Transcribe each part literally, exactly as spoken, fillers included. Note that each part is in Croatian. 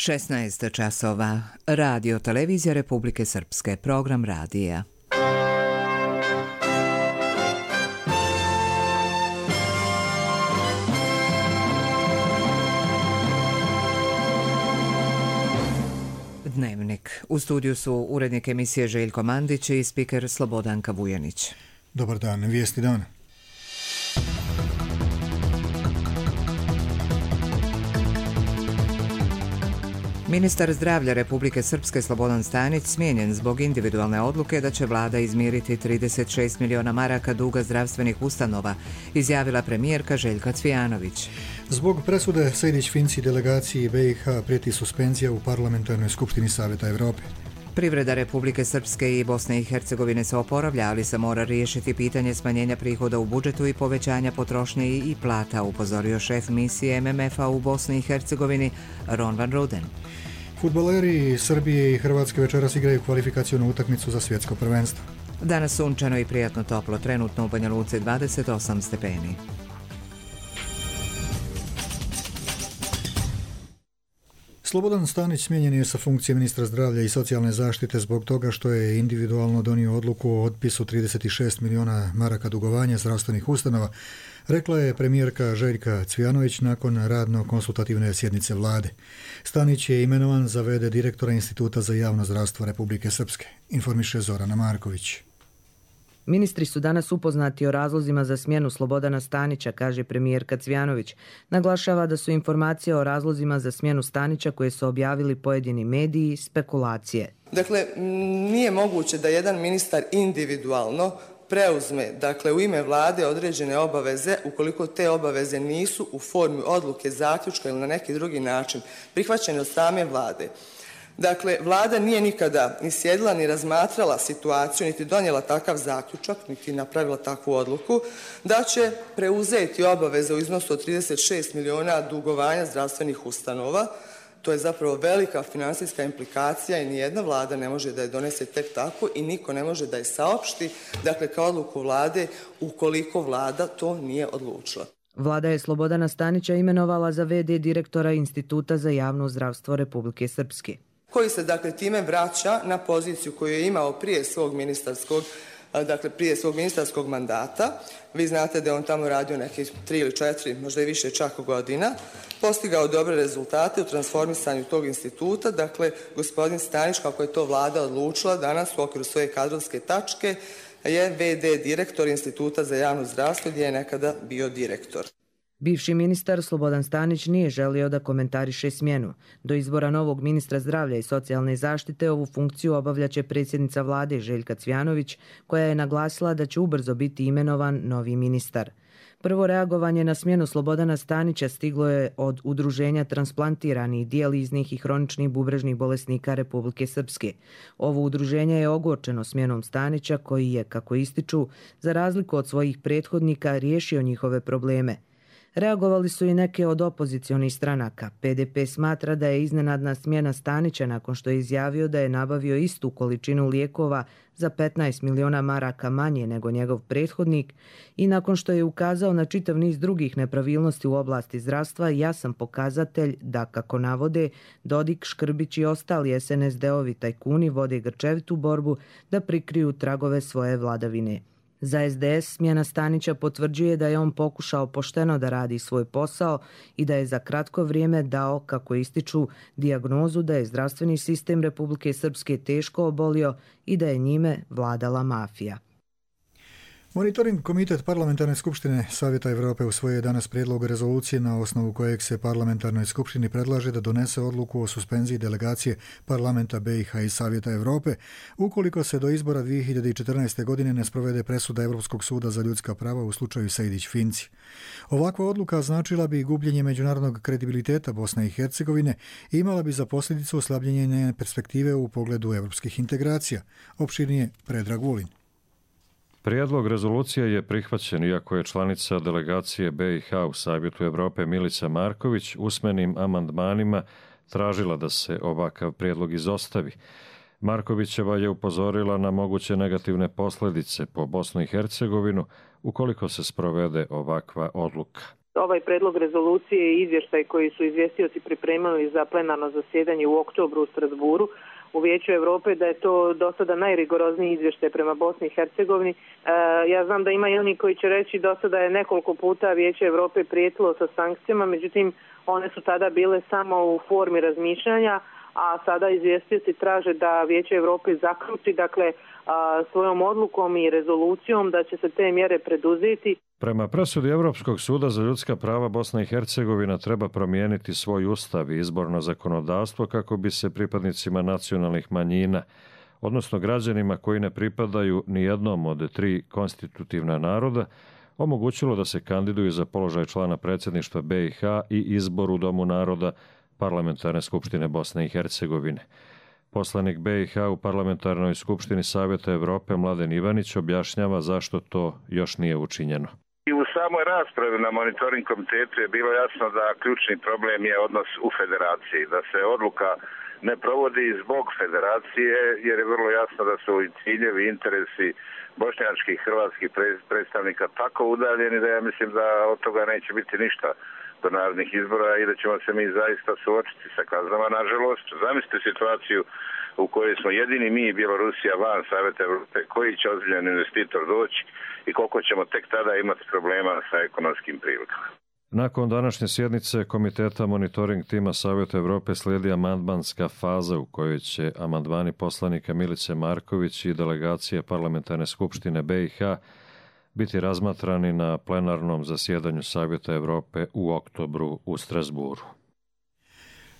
šesnaest časova. Radio Televizija Republike Srpske. Program radija. Dnevnik. U studiju su urednik emisije Željko Mandić i spiker Slobodanka Vujanić. Dobar dan, vijesti dana. Ministar zdravlja Republike Srpske Slobodan Stanić smijenjen zbog individualne odluke da će vlada izmiriti trideset šest miliona maraka duga zdravstvenih ustanova, izjavila premijerka Željka Cvijanović. Zbog presude Sejdić-Finci delegaciji B i H prijeti suspenzija u Parlamentarnoj skupštini Savjeta Evrope. Privreda Republike Srpske i Bosne i Hercegovine se oporavlja, ali se mora riješiti pitanje smanjenja prihoda u budžetu i povećanja potrošnje i plata, upozorio šef misije M M F-a u Bosni i Hercegovini Ron van Ruden. Fudbaleri Srbije i Hrvatske večeras igraju kvalifikacionu utakmicu za svjetsko prvenstvo. Danas sunčano i prijatno toplo, trenutno u Banja Luci dvadeset osam stepeni. Slobodan Stanić smijenjen je sa funkcije ministra zdravlja i socijalne zaštite zbog toga što je individualno donio odluku o otpisu trideset šest miliona maraka dugovanja zdravstvenih ustanova, rekla je premijerka Željka Cvijanović nakon radno-konsultativne sjednice vlade. Stanić je imenovan za v d direktora Instituta za javno zdravstvo Republike Srpske, informiše Zorana Marković. Ministri su danas upoznati o razlozima za smjenu Slobodana Stanića, kaže premijerka Cvijanović. Naglašava da su informacije o razlozima za smjenu Stanića koje su objavili pojedini mediji spekulacije. Dakle, nije moguće da jedan ministar individualno preuzme, dakle, u ime vlade određene obaveze ukoliko te obaveze nisu u formi odluke, zaključka ili na neki drugi način prihvaćene od same vlade. Dakle, vlada nije nikada ni sjedila, ni razmatrala situaciju, niti donijela takav zaključak, niti napravila takvu odluku, da će preuzeti obaveze u iznosu od trideset šest miliona dugovanja zdravstvenih ustanova. To je zapravo velika finansijska implikacija i nijedna vlada ne može da je donese tek tako i niko ne može da je saopšti, dakle, kao odluku vlade ukoliko vlada to nije odlučila. Vlada je Slobodana Stanića imenovala za v d direktora Instituta za javno zdravstvo Republike Srpske, koji se, dakle, time vraća na poziciju koju je imao prije svog ministarskog, dakle, prije svog ministarskog mandata. Vi znate da je on tamo radio nekih tri ili četiri, možda i više čak godina, postigao dobre rezultate u transformisanju tog instituta. Dakle, gospodin Stanić, kako je to vlada odlučila danas u okviru svoje kadrovske tačke, je v d direktor Instituta za javno zdravstvo gdje je nekada bio direktor. Bivši ministar Slobodan Stanić nije želio da komentariše smjenu. Do izbora novog ministra zdravlja i socijalne zaštite ovu funkciju obavljaće predsjednica vlade Željka Cvijanović, koja je naglasila da će ubrzo biti imenovan novi ministar. Prvo reagovanje na smjenu Slobodana Stanića stiglo je od Udruženja transplantiranih, dijaliznih i hroničnih bubrežnih bolesnika Republike Srpske. Ovo udruženje je ogorčeno smjenom Stanića, koji je, kako ističu, za razliku od svojih prethodnika riješio njihove probleme. Reagovali su i neke od opozicionih stranaka. P D P smatra da je iznenadna smjena Stanića nakon što je izjavio da je nabavio istu količinu lijekova za petnaest miliona maraka manje nego njegov prethodnik i nakon što je ukazao na čitav niz drugih nepravilnosti u oblasti zdravstva, jasan pokazatelj da, kako navode, Dodik, Škrbić i ostali S N S D-ovi tajkuni vode grčevitu borbu da prikriju tragove svoje vladavine. Za S D S smjena Stanića potvrđuje da je on pokušao pošteno da radi svoj posao i da je za kratko vrijeme dao, kako ističu, dijagnozu da je zdravstveni sistem Republike Srpske teško obolio i da je njime vladala mafija. Monitoring komitet Parlamentarne skupštine Savjeta Evrope usvojio je danas prijedlog rezolucije na osnovu kojeg se Parlamentarnoj skupštini predlaže da donese odluku o suspenziji delegacije Parlamenta B i H i Savjeta Evrope ukoliko se do izbora dvije hiljade četrnaeste. godine ne sprovede presuda Europskog suda za ljudska prava u slučaju Sejdić-Finci. Ovakva odluka značila bi gubljenje međunarodnog kredibiliteta Bosne i Hercegovine i imala bi za posljedicu oslabljenje njene perspektive u pogledu europskih integracija. Opširnije Predrag Vulin. Prijedlog rezolucije je prihvaćen iako je članica delegacije B i H u Savjetu Evrope Milica Marković usmenim amandmanima tražila da se ovakav prijedlog izostavi. Markovićeva je upozorila na moguće negativne posljedice po Bosnu i Hercegovinu ukoliko se sprovede ovakva odluka. Ovaj predlog rezolucije i izvještaj koji su izvjestioci pripremili za plenarno zasjedanje u oktobru u Strasburu u Vijeću Europe, da je to do sada najrigorozniji izvještaj prema Bosni i Hercegovini. E, ja znam da ima i oni koji će reći do sada je nekoliko puta Vijeće Europe prijetilo sa sankcijama, međutim one su tada bile samo u formi razmišljanja, a sada izvjestioci traže da Vijeće Europe zaključi, dakle, a, svojom odlukom i rezolucijom da će se te mjere preduzeti. Prema presudi Europskog suda za ljudska prava, Bosna i Hercegovina treba promijeniti svoj ustav i izborno zakonodavstvo kako bi se pripadnicima nacionalnih manjina, odnosno građanima koji ne pripadaju ni jednom od tri konstitutivna naroda, omogućilo da se kandiduju za položaj člana predsjedništva B i H i izbor u Domu naroda Parlamentarne skupštine Bosne i Hercegovine. Poslanik B i H u Parlamentarnoj skupštini Savjeta Europe Mladen Ivanić objašnjava zašto to još nije učinjeno. I u samoj raspravi na monitoring komitetu je bilo jasno da ključni problem je odnos u federaciji, da se odluka ne provodi zbog federacije, jer je vrlo jasno da su i ciljevi, interesi bošnjačkih i hrvatskih predstavnika tako udaljeni da ja mislim da od toga neće biti ništa do narodnih izbora i da ćemo se mi zaista suočiti sa kaznama. Nažalost, zamislite situaciju u kojoj smo jedini mi i Bjelorusija van Savjeta Europe, koji će ozbiljan investitor doći i koliko ćemo tek tada imati problema sa ekonomskim prilikama. Nakon današnje sjednice Komiteta monitoring tima Savjeta Europe slijedi amandmanska faza u kojoj će amandmani poslanika Milice Marković i delegacije Parlamentarne skupštine B i H biti razmatrani na plenarnom zasjedanju Savjeta Europe u oktobru u Strasburu.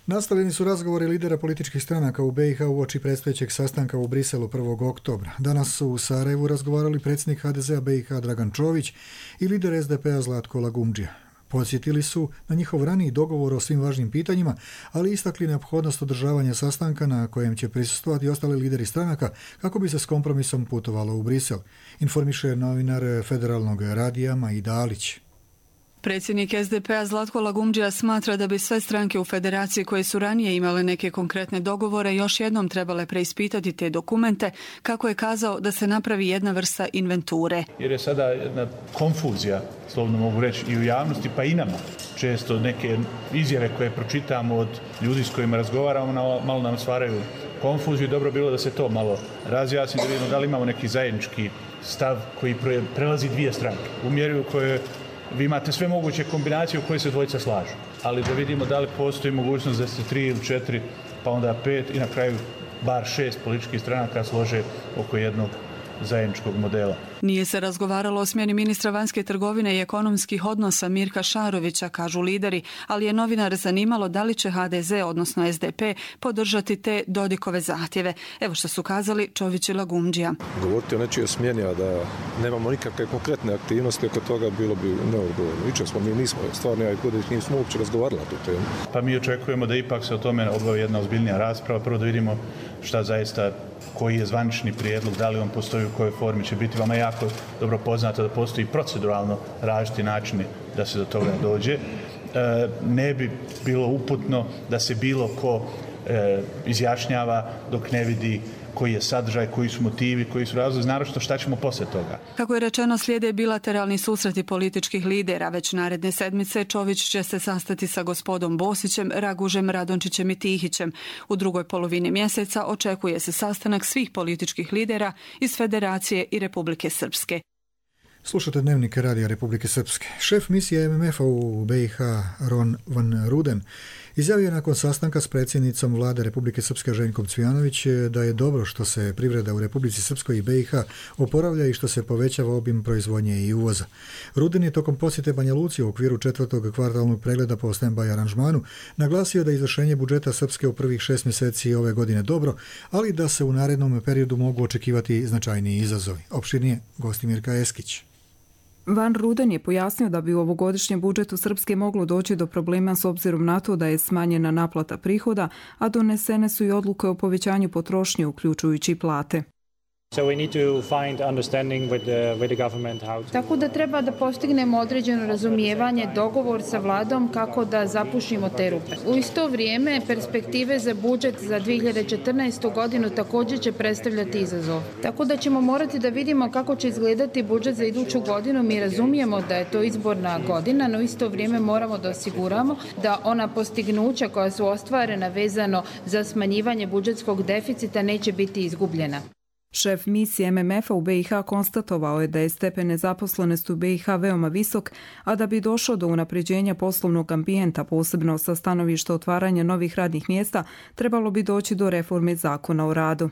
Nastavljeni su razgovori lidera političkih stranaka u B i H uoči predstojećeg sastanka u Briselu prvog oktobra. Danas su u Sarajevu razgovarali predsjednik H D Z-a B i H Dragan Čović i lider S D P-a Zlatko Lagumdžija. Podsjetili su na njihov raniji dogovor o svim važnim pitanjima, ali istakli neophodnost održavanja sastanka na kojem će prisustvovati ostali lideri stranaka kako bi se s kompromisom putovalo u Brisel, informiše novinar Federalnog radija Majida Alić. Predsjednik S D P-a Zlatko Lagumdžija smatra da bi sve stranke u federaciji koje su ranije imale neke konkretne dogovore još jednom trebale preispitati te dokumente, kako je kazao da se napravi jedna vrsta inventure. Jer je sada jedna konfuzija, slovno mogu reći, i u javnosti pa i nama. Često neke izjave koje pročitamo od ljudi s kojima razgovaramo malo nam stvaraju konfuziju i dobro bilo da se to malo razjasni, da vidimo da li imamo neki zajednički stav koji prelazi dvije stranke. U mjeri u kojoj vi imate sve moguće kombinacije u koje se dvojica slažu, ali da vidimo da li postoji mogućnost da se tri ili četiri, pa onda pet i na kraju bar šest političkih stranaka slože oko jednog zajedničkog modela. Nije se razgovaralo o smjeni ministra vanjske trgovine i ekonomskih odnosa Mirka Šarovića, kažu lideri, ali je novinar zanimalo da li će H D Z, odnosno S D P, podržati te Dodikove zahtjeve. Evo što su kazali Čović i Lagumdžija. Govoriti o nečijoj smjeni, a da nemamo nikakve konkretne aktivnosti oko toga bilo bi neodgovorno. Jučer smo mi nismo, stvarno ja i Kudić nismo uopće razgovarali na tu temu. Pa mi očekujemo da ipak se o tome obavi jedna ozbiljnija rasprava. Prvo da vidimo šta zaista, koji je zvanični prijedlog, da li on postoji, u kojoj formi će biti. Vama je jako dobro poznato da postoji proceduralno različiti načini da se do toga dođe. E, ne bi bilo uputno da se bilo ko e, izjašnjava dok ne vidi koji je sadržaj, koji su motivi, koji su razlozi, naročito šta ćemo poslije toga. Kako je rečeno, slijede bilateralni susreti političkih lidera. Već naredne sedmice Čović će se sastati sa gospodom Bosićem, Ragužem, Radončićem i Tihićem. U drugoj polovini mjeseca očekuje se sastanak svih političkih lidera iz Federacije i Republike Srpske. Slušate Dnevnik Radija Republike Srpske. Šef misije M M F-a u B i H Ron van Ruden izjavio je nakon sastanka s predsjednicom vlade Republike Srpske Željkom Cvijanović da je dobro što se privreda u Republici Srpskoj i B i H oporavlja i što se povećava obim proizvodnje i uvoza. Ruden je tokom posjete Banja Luci u okviru četvrtog kvartalnog pregleda po stand-by aranžmanu naglasio da je izvršenje budžeta Srpske u prvih šest mjeseci ove godine dobro, ali da se u narednom periodu mogu očekivati značajniji izazovi. Opširnije Gostimirka Eskić. Van Ruden je pojasnio da bi u ovogodišnjem budžetu Srpske moglo doći do problema s obzirom na to da je smanjena naplata prihoda, a donesene su i odluke o povećanju potrošnje uključujući plate. So we need to find understanding with the, with the government how to... Tako da treba da postignemo određeno razumijevanje, dogovor sa vladom kako da zapušimo te rupe. U isto vrijeme perspektive za budžet za dvije hiljade četrnaestu. godinu također će predstavljati izazov. Tako da ćemo morati da vidimo kako će izgledati budžet za iduću godinu. Mi razumijemo da je to izborna godina, no u isto vrijeme moramo da osiguramo da ona postignuća koja su ostvarena vezano za smanjivanje budžetskog deficita neće biti izgubljena. Šef misije M M F-a u B i H konstatovao je da je stepen nezaposlenosti u B i H veoma visok, a da bi došlo do unapređenja poslovnog ambijenta, posebno sa stanovišta otvaranja novih radnih mjesta, trebalo bi doći do reforme zakona o radu.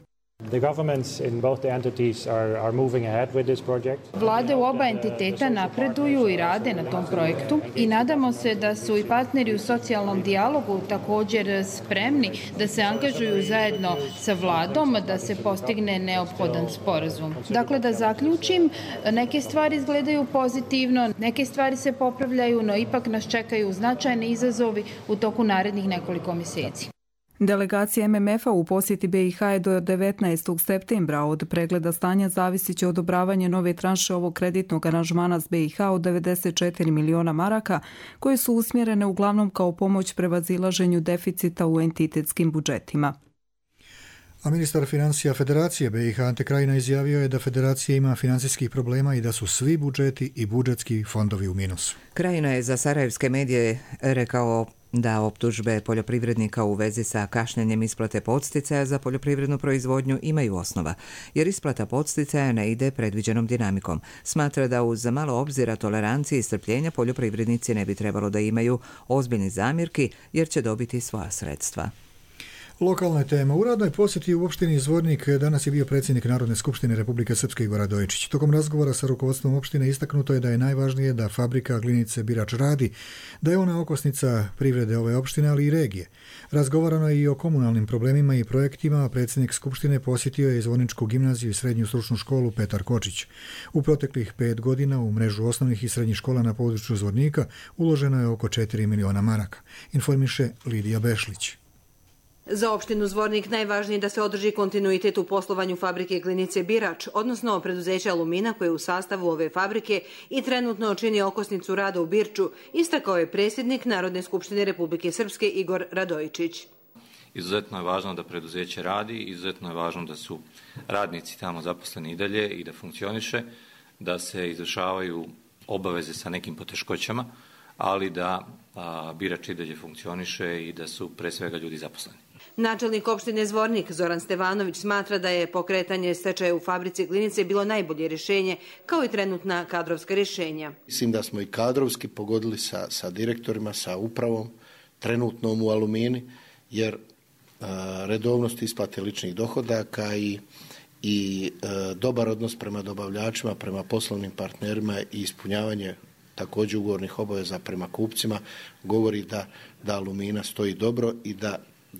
The governments in both the entities are, are moving ahead with this project. Vlade u oba entiteta napreduju i rade na tom projektu i nadamo se da su i partneri u socijalnom dijalogu također spremni da se angažuju zajedno sa vladom da se postigne neophodan sporazum. Dakle, da zaključim, neke stvari izgledaju pozitivno, neke stvari se popravljaju, no ipak nas čekaju značajni izazovi u toku narednih nekoliko mjeseci. Delegacija M M F-a u posjeti B i H je do devetnaestog septembra. Od pregleda stanja zavisit će odobravanje nove tranše ovog kreditnog aranžmana s B i H od devedeset četiri miliona maraka, koje su usmjerene uglavnom kao pomoć prevazilaženju deficita u entitetskim budžetima. A ministar financija Federacije B i H Ante Krajina izjavio je da Federacija ima financijskih problema i da su svi budžeti i budžetski fondovi u minusu. Krajina je za sarajevske medije rekao da optužbe poljoprivrednika u vezi sa kašnjenjem isplate podsticaja za poljoprivrednu proizvodnju imaju osnova, jer isplata podsticaja ne ide predviđenom dinamikom. Smatra da uz malo obzira, tolerancije i strpljenja poljoprivrednici ne bi trebalo da imaju ozbiljni zamjerki, jer će dobiti svoja sredstva. Lokalna tema. U radnoj posjeti u opštini Zvornik danas je bio predsjednik Narodne skupštine Republike Srpske Igor Radojičić. Tokom razgovora sa rukovodstvom opštine istaknuto je da je najvažnije da fabrika glinice Birač radi, da je ona okosnica privrede ove opštine, ali i regije. Razgovarano je i o komunalnim problemima i projektima, a predsjednik skupštine posjetio je Zvorničku gimnaziju i srednju stručnu školu Petar Kočić. U proteklih pet godina u mrežu osnovnih i srednjih škola na području Zvornika uloženo je oko četiri miliona maraka, informiše Lidija Bešlić. Za opštinu Zvornik najvažnije je da se održi kontinuitet u poslovanju fabrike glinice Birač, odnosno preduzeća Alumina koje je u sastavu ove fabrike i trenutno čini okosnicu rada u Birču, istakao je predsjednik Narodne skupštine Republike Srpske Igor Radojičić. Izuzetno je važno da preduzeće radi, izuzetno je važno da su radnici tamo zaposleni i dalje i da funkcioniše, da se izvršavaju obaveze sa nekim poteškoćama, ali da a, Birač i dalje funkcioniše i da su pre svega ljudi zaposleni. Načelnik opštine Zvornik Zoran Stevanović smatra da je pokretanje stečaja u fabrici glinice bilo najbolje rješenje, kao i trenutna kadrovska rješenja. Mislim da smo i kadrovski pogodili sa, sa direktorima, sa upravom, trenutnom u Alumini, jer a, redovnost isplate ličnih dohodaka i, i a, dobar odnos prema dobavljačima, prema poslovnim partnerima i ispunjavanje također ugovornih obaveza prema kupcima govori da, da Alumina stoji dobro i da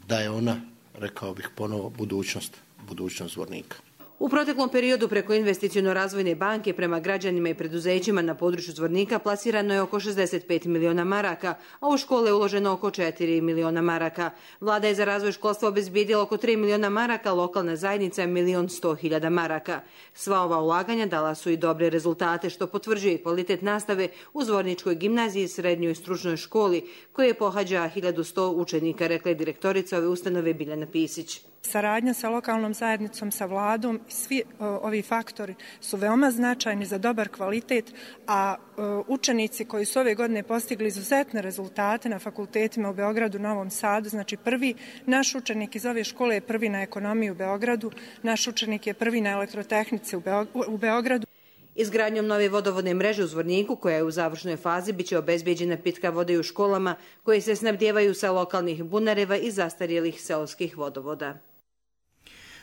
da je ona, rekao bih ponovo, budućnost, budućnost Zvornika. U proteklom periodu preko investiciono-razvojne banke prema građanima i preduzećima na području Zvornika plasirano je oko šezdeset pet miliona maraka, a u škole je uloženo oko četiri miliona maraka. Vlada je za razvoj školstva obezbijedila oko tri miliona maraka, lokalna zajednica milion sto hiljada maraka. Sva ova ulaganja dala su i dobre rezultate, što potvrđuje kvalitet nastave u Zvorničkoj gimnaziji i srednjoj stručnoj školi, koje pohađa hiljadu sto učenika, rekla je direktorica ove ustanove Biljana Pisić. Saradnja sa lokalnom zajednicom, sa vladom, svi o, ovi faktori su veoma značajni za dobar kvalitet, a o, učenici koji su ove godine postigli izuzetne rezultate na fakultetima u Beogradu, Novom Sadu, znači prvi, naš učenik iz ove škole je prvi na ekonomiji u Beogradu, naš učenik je prvi na elektrotehnici u, Beog, u Beogradu. Izgradnjom nove vodovodne mreže u Zvorniku, koja je u završnoj fazi, biće obezbeđena pitka vode i u školama koje se snabdijevaju sa lokalnih bunareva i zastarjelih seoskih vodovoda.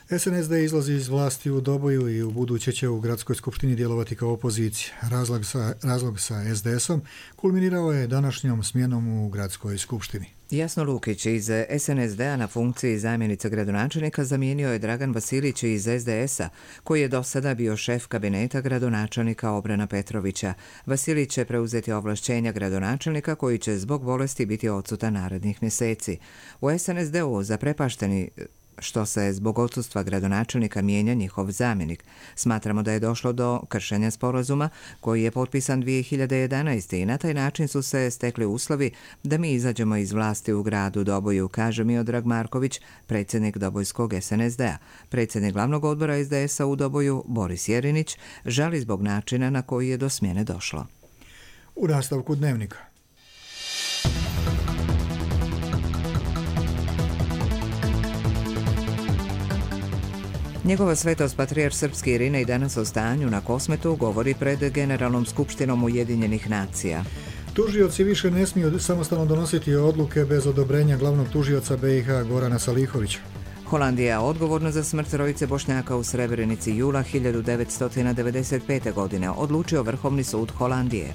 S N S D izlazi iz vlasti u Doboju i u buduće će u gradskoj skupštini djelovati kao opozicija. Razlog sa, razlog sa S D S-om kulminirao je današnjom smjenom u gradskoj skupštini. Jasno Lukić iz S N S D-a na funkciji zamjenica gradonačelnika zamijenio je Dragan Vasilić iz S D S-a, koji je do sada bio šef kabineta gradonačelnika Obrana Petrovića. Vasilić će preuzeti ovlašćenja gradonačelnika, koji će zbog bolesti biti odsutan narednih mjeseci. U S N S D-u zaprepašteni što se zbog odsustva gradonačelnika mijenja njihov zamjenik. Smatramo da je došlo do kršenja sporazuma koji je potpisan dvije hiljade jedanaeste. i na taj način su se stekli uslovi da mi izađemo iz vlasti u gradu Doboju, kaže Miodrag Marković, predsjednik Dobojskog es en es de a. Predsjednik glavnog odbora es de es a u Doboju, Boris Jerinić, žali zbog načina na koji je do smjene došlo. U nastavku Dnevnika. Njegova svetost patrijarh srpski Irinej danas o stanju na Kosmetu govori pred Generalnom skupštinom Ujedinjenih nacija. Tužioci više ne smiju samostalno donositi odluke bez odobrenja glavnog tužioca be i ha Gorana Salihovića. Holandija odgovorna za smrt trojice Bošnjaka u Srebrenici jula hiljadu devetsto devedeset pete. godine, odlučio Vrhovni sud Holandije.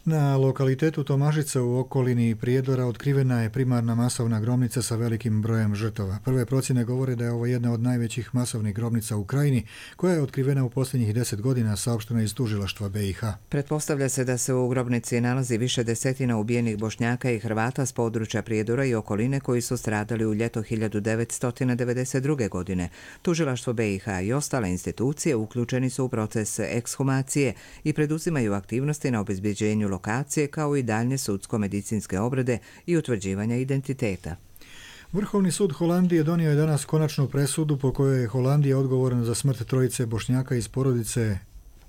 Na lokalitetu Tomažica u okolini Prijedora otkrivena je primarna masovna grobnica sa velikim brojem žrtava. Prve procjene govore da je ovo jedna od najvećih masovnih grobnica u Krajini, koja je otkrivena u posljednjih deset godina, saopštena iz tužilaštva be i ha. Pretpostavlja se da se u grobnici nalazi više desetina ubijenih Bošnjaka i Hrvata s područja Prijedora i okoline koji su stradali u ljeto hiljadu devetsto devedeset druge. godine. Tužilaštvo be i ha i ostale institucije uključeni su u proces ekshumacije i preduzimaju aktivnosti na obezbeđenju lokacije kao i daljnje sudsko-medicinske obrade i utvrđivanja identiteta. Vrhovni sud Holandije donio je danas konačnu presudu po kojoj je Holandija odgovorna za smrt trojice Bošnjaka iz porodice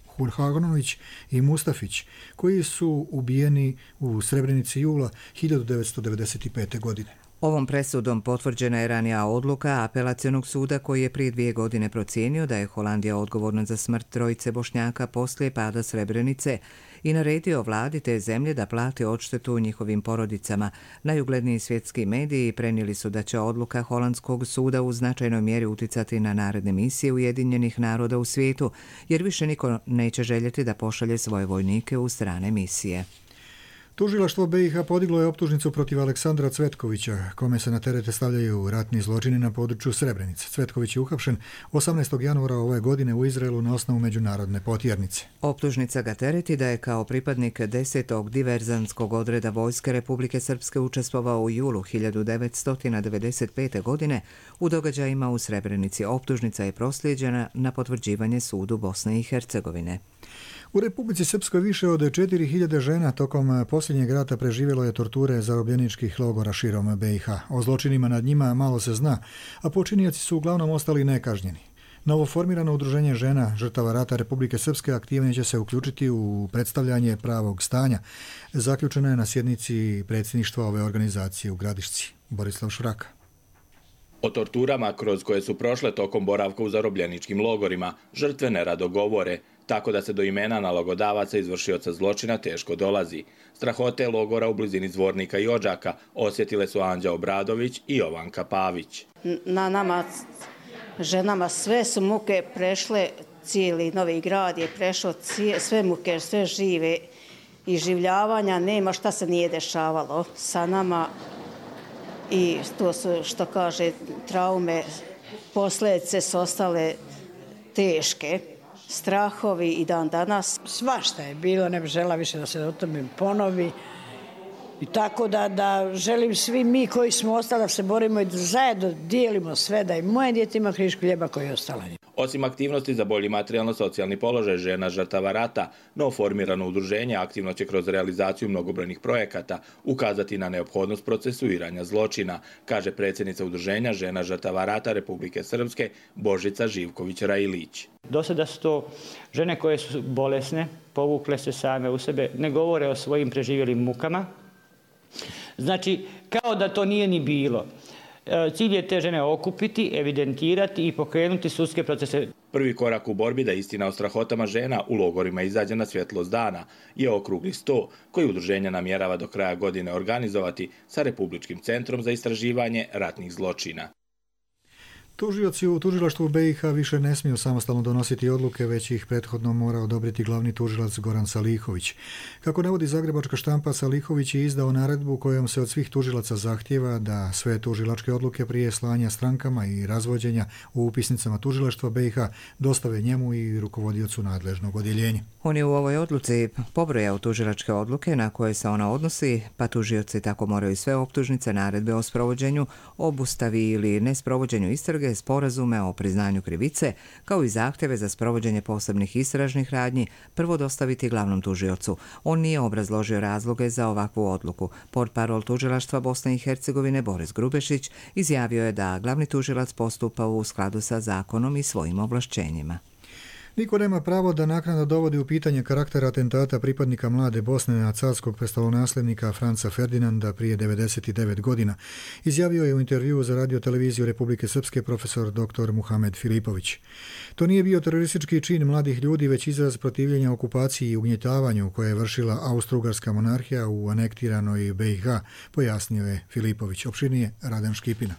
Hurhanović i Mustafić, koji su ubijeni u Srebrenici jula hiljadu devetsto devedeset pete. godine. Ovom presudom potvrđena je ranija odluka apelacionog suda koji je prije dvije godine procijenio da je Holandija odgovorna za smrt trojice Bošnjaka poslije pada Srebrenice i naredio vladi te zemlje da plati odštetu njihovim porodicama. Najugledniji svjetski mediji prenijeli su da će odluka holandskog suda u značajnoj mjeri uticati na naredne misije Ujedinjenih naroda u svijetu, jer više niko neće željeti da pošalje svoje vojnike u strane misije. Tužilaštvo be i ha podiglo je optužnicu protiv Aleksandra Cvetkovića, kome se na terete stavljaju ratni zločini na području Srebrenice. Cvetković je uhapšen osamnaestog januara ove godine u Izraelu na osnovu međunarodne potjernice. Optužnica ga tereti da je kao pripadnik desetog diverzanskog odreda Vojske Republike Srpske učestvovao u julu hiljadu devetsto devedeset pete. godine u događajima u Srebrenici. Optužnica je proslijeđena na potvrđivanje sudu Bosne i Hercegovine. U Republici Srpskoj više od četiri hiljade žena tokom posljednjeg rata preživjelo je torture zarobljeničkih logora širom be i ha. O zločinima nad njima malo se zna, a počinioci su uglavnom ostali nekažnjeni. Novoformirano udruženje žena žrtava rata Republike Srpske aktivnije će se uključiti u predstavljanje pravog stanja. Zaključeno je na sjednici predsjedništva ove organizacije u Gradišci. Borislav Šuraka. O torturama kroz koje su prošle tokom boravka u zarobljeničkim logorima žrtve nerado govore, tako da se do imena nalogodavaca izvršioca zločina teško dolazi. Strahote logora u blizini Zvornika i Odžaka osjetile su Anđa Obradović i Jovanka Pavić. Na nama, ženama, sve su muke prešle, cijeli Novi Grad je prešao sve muke, sve žive i življavanja, nema šta se nije dešavalo sa nama i to su, što kaže, traume, posljedice su ostale teške. Strahovi i dan danas. Svašta je bilo, ne bih žela više da se o tome ponovi. I tako da, da želim svi mi koji smo ostali da se borimo i da zajedno dijelimo sve, da i moje dijete ima krišku hljeba koji je ostala. Osim aktivnosti za bolji materijalno-socijalni položaj žena žrtava rata, novoformirano udruženje aktivno će kroz realizaciju mnogobrojnih projekata ukazati na neophodnost procesuiranja zločina, kaže predsjednica udruženja žena žrtava rata Republike Srpske Božica Živković-Rajilić. Do sada su to žene koje su bolesne, povukle se same u sebe, ne govore o svojim preživjelim mukama. Znači, kao da to nije ni bilo. Cilj je te žene okupiti, evidentirati i pokrenuti sudske procese. Prvi korak u borbi da istina o strahotama žena u logorima izađe na svjetlost dana je okrugli sto koji udruženje namjerava do kraja godine organizovati sa Republičkim centrom za istraživanje ratnih zločina. Tužioci u tužilaštvu B i H više ne smiju samostalno donositi odluke, već ih prethodno mora odobriti glavni tužilac Goran Salihović. Kako navodi zagrebačka štampa, Salihović je izdao naredbu kojom se od svih tužilaca zahtjeva da sve tužilačke odluke prije slanja strankama i razvođenja u upisnicama tužilaštva B i H dostave njemu i rukovodiocu nadležnog odjeljenja. On je u ovoj odluci pobrojao tužilačke odluke na koje se ona odnosi, pa tužioci tako moraju sve optužnice, naredbe o sprovođenju, obustavi ili nesprovođenju istrage, sporazume o priznanju krivice, kao i zahtjeve za sprovođenje posebnih istražnih radnji, prvo dostaviti glavnom tužiocu. On nije obrazložio razloge za ovakvu odluku. Portparol tužilaštva Bosne i Hercegovine Boris Grubešić izjavio je da glavni tužilac postupa u skladu sa zakonom i svojim ovlašćenjima. Niko nema pravo da naknadno dovodi u pitanje karakter atentata pripadnika mlade Bosne na carskog prestolonasljednika Franca Ferdinanda prije devedeset devet godina, izjavio je u intervjuu za radioteleviziju Republike Srpske profesor doktor Muhamed Filipović. To nije bio teroristički čin mladih ljudi, već izraz protivljenja okupaciji i ugnjetavanju koje je vršila Austro-Ugarska monarhija u anektiranoj B i H, pojasnio je Filipović. Opširnije Radan Škipina.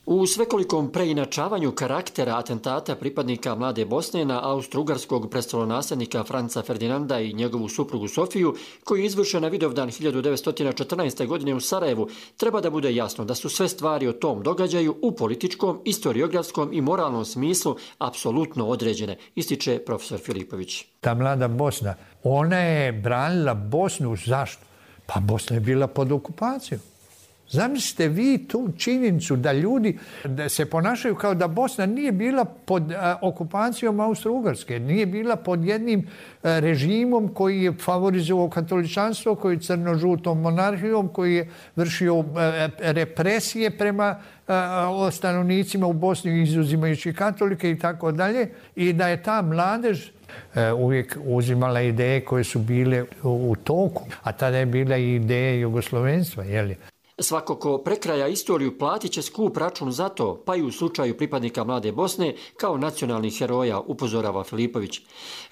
U svekolikom preinačavanju karaktera atentata pripadnika mlade Bosne na austro-ugarskog prestolonasljednika Franca Ferdinanda i njegovu suprugu Sofiju, koji je izvršen na Vidovdan hiljadu devetsto četrnaeste. godine u Sarajevu, treba da bude jasno da su sve stvari o tom događaju u političkom, istoriografskom i moralnom smislu apsolutno određene, ističe profesor Filipović. Ta mlada Bosna, ona je branila Bosnu zašto? Pa Bosna je bila pod okupacijom. Zamislite vi tu činjenicu da ljudi da se ponašaju kao da Bosna nije bila pod a, okupacijom Austro-Ugarske, nije bila pod jednim a, režimom koji je favorizovao katoličanstvo, koji je crno-žutom monarhijom, koji je vršio a, represije prema a, stanovnicima u Bosni, izuzimajući katolike i tako dalje, i da je ta mladež a, uvijek uzimala ideje koje su bile u, u toku, a tada je bila i ideja jugoslovenstva, jeli? Svako ko prekraja istoriju platit će skup račun za to, pa i u slučaju pripadnika mlade Bosne kao nacionalnih heroja, upozorava Filipović.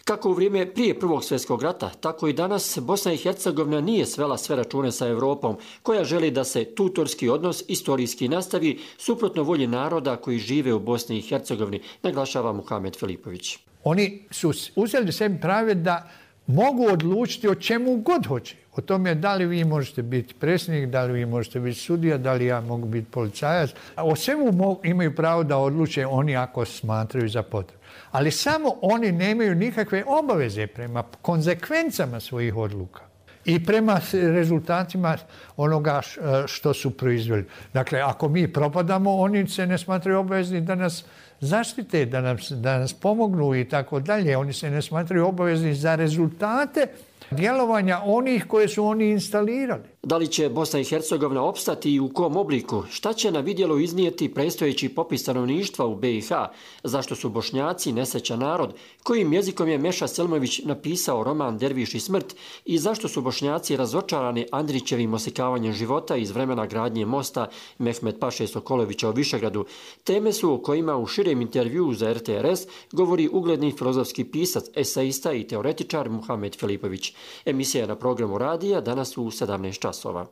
Kako u vrijeme prije Prvog svjetskog rata, tako i danas Bosna i Hercegovina nije svela sve račune sa Europom, koja želi da se tutorski odnos istorijski nastavi suprotno volji naroda koji žive u Bosni i Hercegovini, naglašava Muhamed Filipović. Oni su uzeli sebi prave da mogu odlučiti o čemu god hoće. O tome da li vi možete biti predsjednik, da li vi možete biti sudija, da li ja mogu biti policajac. O svemu imaju pravo da odluče oni ako smatraju za potrebu. Ali samo oni nemaju nikakve obaveze prema konzekvencama svojih odluka i prema rezultatima onoga što su proizveli. Dakle, ako mi propadamo, oni se ne smatraju obavezni da nas zaštite, da nas, da nas pomognu i tako dalje. Oni se ne smatraju obavezni za rezultate djelovanja onih koje su oni instalirali. Da li će Bosna i Hercegovina opstati i u kom obliku? Šta će na vidjelo iznijeti predstojeći popis stanovništva u B i H? Zašto su Bošnjaci nesrećan narod? Kojim jezikom je Meša Selmović napisao roman Derviš i smrt? I zašto su Bošnjaci razočarani Andrićevim osikavanjem života iz vremena gradnje mosta Mehmet Paše Sokolovića u Višegradu? Teme su o kojima u širem intervjuu za R T R S govori ugledni filozofski pisac, eseista i teoretičar Muhamed Filipović. Emisija je na programu radija danas u sedamnaest časova.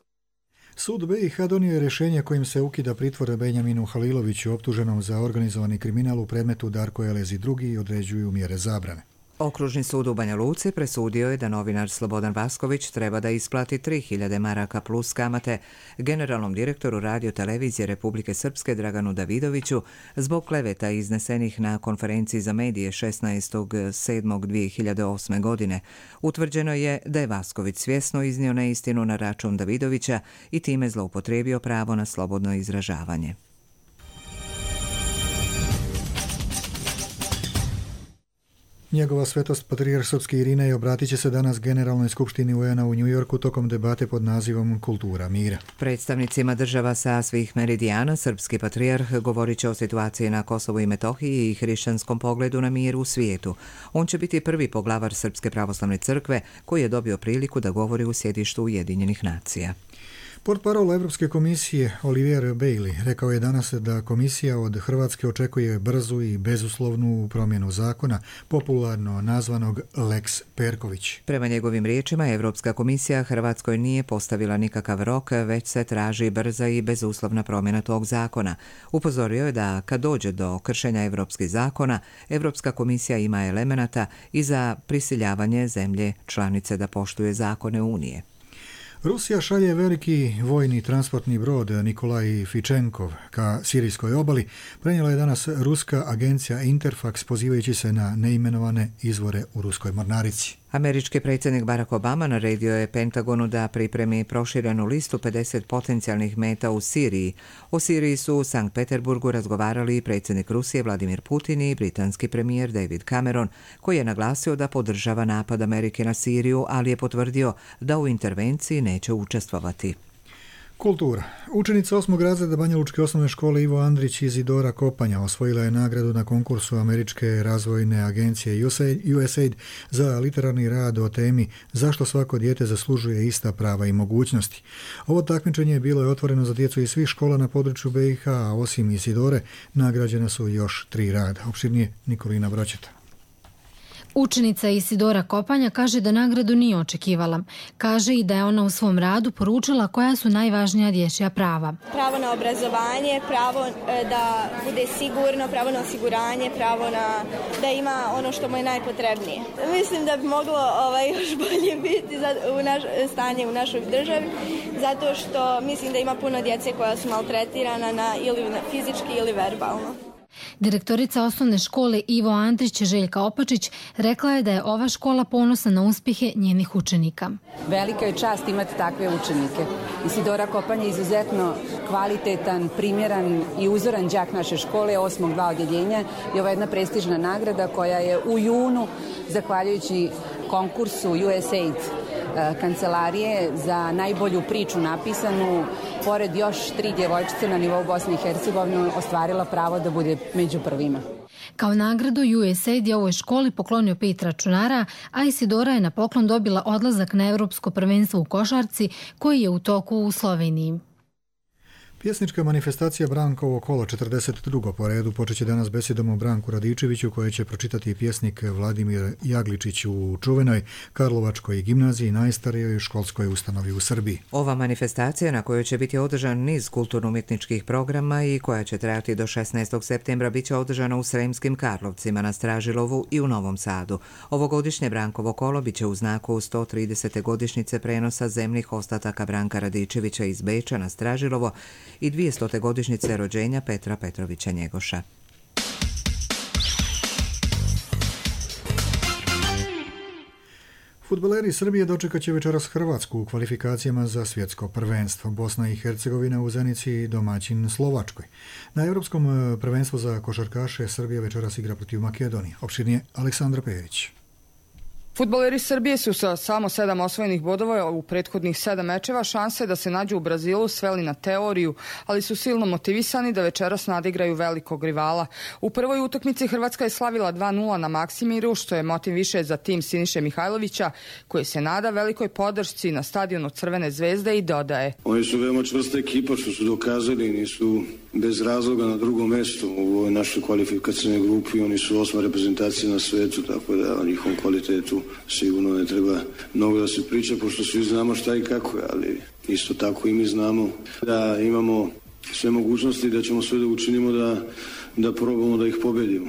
Sud B i H donio je rješenje kojim se ukida pritvor Benjaminu Haliloviću, optuženom za organizovani kriminal u predmetu Darko Elez i drugi, i određuju mjere zabrane. Okružni sud u Banja Luci presudio je da novinar Slobodan Vasković treba da isplati tri hiljade maraka plus kamate generalnom direktoru radiotelevizije Republike Srpske Draganu Davidoviću zbog kleveta iznesenih na konferenciji za medije šesnaestog sedmog dvije hiljade osme. godine. Utvrđeno je da je Vasković svjesno iznio neistinu na račun Davidovića i time zloupotrijebio pravo na slobodno izražavanje. Njegova svetost patrijarh srpski Irinej obratit će se danas Generalnoj skupštini U N-a u Njujorku tokom debate pod nazivom Kultura mira. Predstavnicima država sa svih meridijana srpski patrijarh govorit će o situaciji na Kosovu i Metohiji i hrišćanskom pogledu na mir u svijetu. On će biti prvi poglavar Srpske pravoslavne crkve koji je dobio priliku da govori u sjedištu Ujedinjenih nacija. Portparol Evropske komisije Olivier Bailey rekao je danas da komisija od Hrvatske očekuje brzu i bezuslovnu promjenu zakona, popularno nazvanog Lex Perković. Prema njegovim riječima, Evropska komisija Hrvatskoj nije postavila nikakav rok, već se traži brza i bezuslovna promjena tog zakona. Upozorio je da kad dođe do kršenja evropskih zakona, Evropska komisija ima elemenata i za prisiljavanje zemlje članice da poštuje zakone Unije. Rusija šalje veliki vojni transportni brod Nikolaj Fičenkov ka sirijskoj obali, prenijela je danas ruska agencija Interfax pozivajući se na neimenovane izvore u ruskoj mornarici. Američki predsjednik Barack Obama naredio je Pentagonu da pripremi proširenu listu pedeset potencijalnih meta u Siriji. O Siriji su u Sankt Peterburgu razgovarali i predsjednik Rusije Vladimir Putin i britanski premijer David Cameron, koji je naglasio da podržava napad Amerike na Siriju, ali je potvrdio da u intervenciji neće učestvovati. Kultura. Učenica osmog razreda Banjalučke osnovne škole Ivo Andrić iz Isidora Kopanja osvojila je nagradu na konkursu Američke razvojne agencije U S A I D za literarni rad o temi Zašto svako dijete zaslužuje ista prava i mogućnosti. Ovo takmičenje bilo je otvoreno za djecu iz svih škola na području B i H, a osim Isidore nagrađena su još tri rada. Opširnije Nikolina Braćeta. Učenica Isidora Kopanja kaže da nagradu nije očekivala. Kaže i da je ona u svom radu poručila koja su najvažnija dječja prava. Pravo na obrazovanje, pravo da bude sigurno, pravo na osiguranje, pravo na da ima ono što mu je najpotrebnije. Mislim da bi moglo ovaj, još bolje biti za, u naš, stanje u našoj državi, zato što mislim da ima puno djece koja su maltretirana na, ili fizički ili verbalno. Direktorica osnovne škole Ivo Andrić Željka Opačić rekla je da je ova škola ponosna na uspjehe njenih učenika. Velika je čast imati takve učenike. Isidora Kopanja je izuzetno kvalitetan, primjeran i uzoran đak naše škole, osmog dva odjeljenja i ova jedna prestižna nagrada koja je u junu, zahvaljujući konkursu U S A I D kancelarije za najbolju priču napisanu, pored još tri djevojčice na nivou Bosne i Hercegovine, ostvarila pravo da bude među prvima. Kao nagradu U S A I D je ovoj školi poklonio pet računara, a Isidora je na poklon dobila odlazak na Evropsko prvenstvo u košarci koji je u toku u Sloveniji. Pjesnička manifestacija Brankovo kolo četrdeset drugo po redu počeće danas besedom o Branku Radičeviću koje će pročitati pjesnik Vladimir Jagličić u čuvenoj Karlovačkoj gimnaziji, najstarijoj školskoj ustanovi u Srbiji. Ova manifestacija na kojoj će biti održan niz kulturno-umjetničkih programa i koja će trajati do šesnaestog septembra bit će održana u Sremskim Karlovcima, na Stražilovu i u Novom Sadu. Ovogodišnje Brankovo kolo bit će u znaku sto tridesete godišnjice prenosa zemnih ostataka Branka Radičevića iz Beča na Stražilovo i dvijestote godišnjice rođenja Petra Petrovića Njegoša. Fudbaleri Srbije dočekat će večeras Hrvatsku u kvalifikacijama za svjetsko prvenstvo. Bosna i Hercegovina u Zenici domaćin Slovačkoj. Na Europskom prvenstvu za košarkaše Srbija večeras igra protiv Makedonije. Opširnije Aleksandra Pejević. Fudbaleri Srbije su sa samo sedam osvojenih bodova u prethodnih sedam mečeva šanse da se nađu u Brazilu sveli na teoriju, ali su silno motivisani da večeras nadigraju velikog rivala. U prvoj utakmici Hrvatska je slavila dva nula na Maksimiru, što je motiv više za tim Siniše Mihajlovića, koji se nada velikoj podršci na stadionu Crvene zvezde i dodaje. Oni su veoma čvrsta ekipa što su dokazali, nisu bez razloga na drugom mjestu u ovoj našoj kvalifikacijnoj grupi. Oni su osma reprezentacija na svetu, tako da o njihovom kvalitetu sigurno ne treba mnogo da se priča, pošto svi znamo šta i kako je, ali isto tako i mi znamo da imamo sve mogućnosti, da ćemo sve da učinimo da, da probamo da ih pobedimo.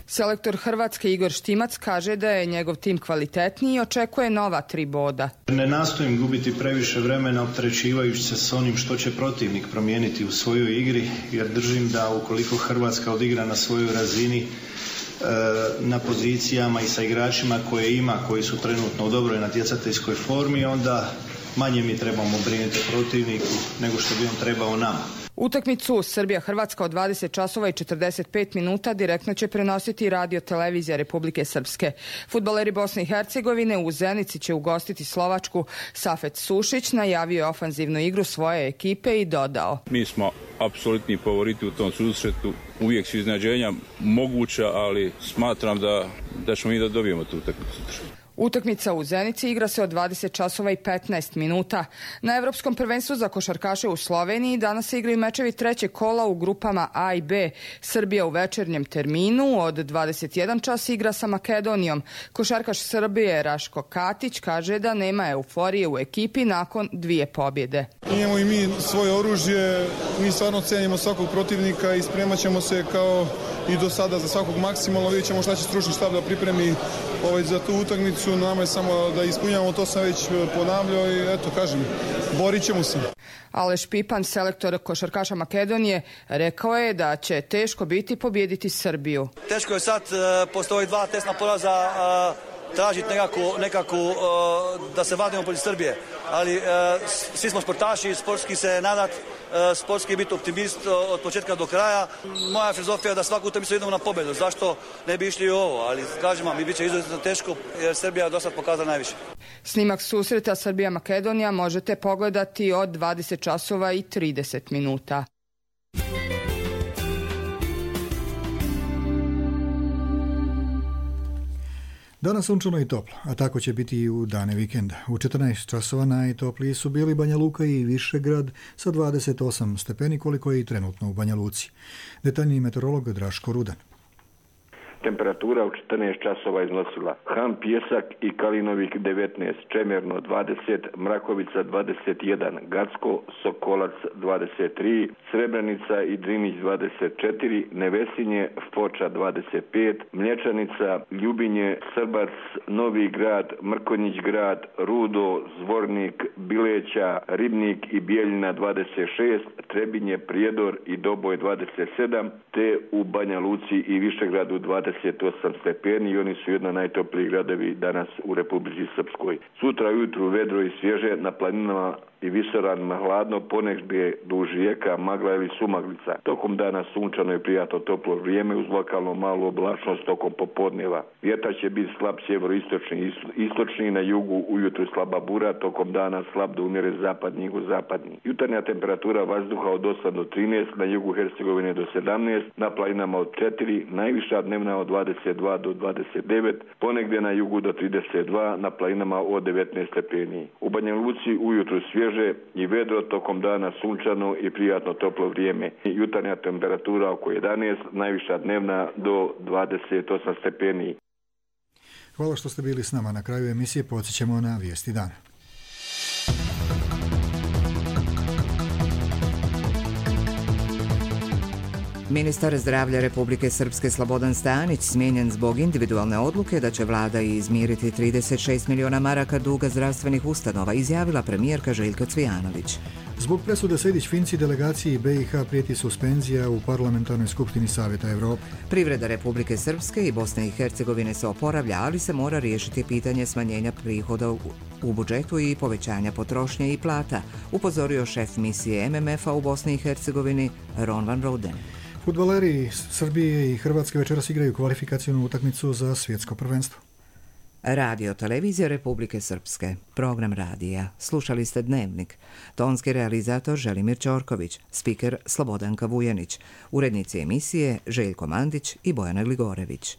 Selektor Hrvatske Igor Štimac kaže da je njegov tim kvalitetniji i očekuje nova tri boda. Ne nastojim gubiti previše vremena opterećivajući se s onim što će protivnik promijeniti u svojoj igri, jer držim da ukoliko Hrvatska odigra na svojoj razini, na pozicijama i sa igračima koje ima, koji su trenutno u dobroj natjecateljskoj formi, onda manje mi trebamo brinuti protivniku nego što bi on trebao nama. Utakmicu Srbija-Hrvatska od dvadeset časova i četrdeset pet minuta direktno će prenositi radio televizija Republike Srpske. Fudbaleri Bosne i Hercegovine u Zenici će ugostiti Slovačku. Safet Sušić najavio je ofanzivnu igru svoje ekipe i dodao: Mi smo apsolutni favoriti u tom susretu. Uvijek su iznenađenja moguća, ali smatram da, da ćemo mi da dobijemo tu utakmicu. Utakmica u Zenici igra se od dvadeset časova i petnaest minuta. Na Evropskom prvenstvu za košarkaše u Sloveniji danas se igraju mečevi trećeg kola u grupama A i B. Srbija u večernjem terminu od dvadeset jedan čas igra sa Makedonijom. Košarkaš Srbije Raško Katić kaže da nema euforije u ekipi nakon dvije pobjede. Imamo i mi svoje oružje, mi stvarno cenimo svakog protivnika i spremat ćemo se kao i do sada za svakog maksimalno. Vidjet ćemo šta će stručni štab da pripremi ovaj, za tu utakmicu. Nama je samo da ispunjavamo, to sam već ponavljao i eto, kažem, borit ćemo se. Aleš Pipan, selektor košarkaša Makedonije, rekao je da će teško biti pobijediti Srbiju. Teško je sad, postoji dva tesna poraza, tražiti nekako, nekako da se vadimo protiv Srbije. Ali svi smo sportaši, sportski se nadat, sportski biti optimist od početka do kraja. Moja filozofija je da svaku utakmicu idemo na pobjedu. Zašto ne bi išli u ovo? Ali kažem vam, mi bit će izuzetno teško jer Srbija je do sad pokazala najviše. Snimak susreta Srbija-Makedonija možete pogledati od dvadeset časova i trideset minuta. Danas sunčano i toplo, a tako će biti i u dane vikenda. U četrnaest časova najtopliji su bili Banja Luka i Višegrad sa dvadeset osam stepeni koliko je i trenutno u Banja Luci. Detaljniji meteorolog Draško Rudan. Temperatura u četrnaest časova iznosila Han Pjesak i Kalinovik devetnaest, Čemerno dvadeset, Mrakovica dvadeset jedan, Gacko, Sokolac dvadeset tri, Srebrenica i Drinić dvadeset četiri, Nevesinje, Foča dvadeset pet, Mlječanica, Ljubinje, Srbac, Novi Grad, Mrkonjić Grad, Rudo, Zvornik, Bileća, Ribnik i Bijeljina dvadeset šest, Trebinje, Prijedor i Doboj dvadeset sedam, te u Banja Luci i Višegradu dvadeset osam stepeni i oni su jedna najtoplijih gradovi danas u Republici Srpskoj. Sutra ujutru vedro i svježe, na planinama i visoranima hladno, ponegdje duž rijeka, magla ili sumaglica. Tokom dana sunčano i prijatno toplo vrijeme uz lokalno malu oblačnost tokom popodneva. Vjetar će biti slab sjeveroistočni, istočni, na jugu ujutru slaba bura, tokom dana slab do umjeren zapadni i jugozapadni. Jutarnja temperatura vazduha od osam do trinaest, na jugu Hercegovine do sedamnaest, na planinama od četiri, najviša dnevna od dvadeset dva do dvadeset devet, ponegdje na jugu do trideset dva, na planinama od devetnaest stepeni. U Banja Luci ujutru svježe i vedro, tokom dana sunčano i prijatno toplo vrijeme. Jutarnja temperatura oko jedanaest, najviša dnevna do dvadeset osam stepeni. Hvala što ste bili s nama. Na kraju emisije podsjećamo na vijesti dana. Ministar zdravlja Republike Srpske Slobodan Stanić smijenjen zbog individualne odluke da će vlada izmiriti trideset šest miliona maraka duga zdravstvenih ustanova, izjavila premijerka Željka Cvijanović. Zbog presude Sejdić-Finci delegaciji B i H prijeti suspenzija u Parlamentarnoj skupštini Savjeta Evrope. Privreda Republike Srpske i Bosne i Hercegovine se oporavlja, ali se mora riješiti pitanje smanjenja prihoda u budžetu i povećanja potrošnje i plata, upozorio šef misije M M F-a u Bosni i Hercegovini Ron van Roden. Fudbaleri Srbije i Hrvatske večeras igraju kvalifikacijnu utakmicu za svjetsko prvenstvo. Radio televizija Republike Srpske, program radija. Slušali ste Dnevnik. Tonski realizator Želimir Ćorković, spiker Slobodanka Vujanić, urednici emisije Željko Mandić i Bojana Gligorević.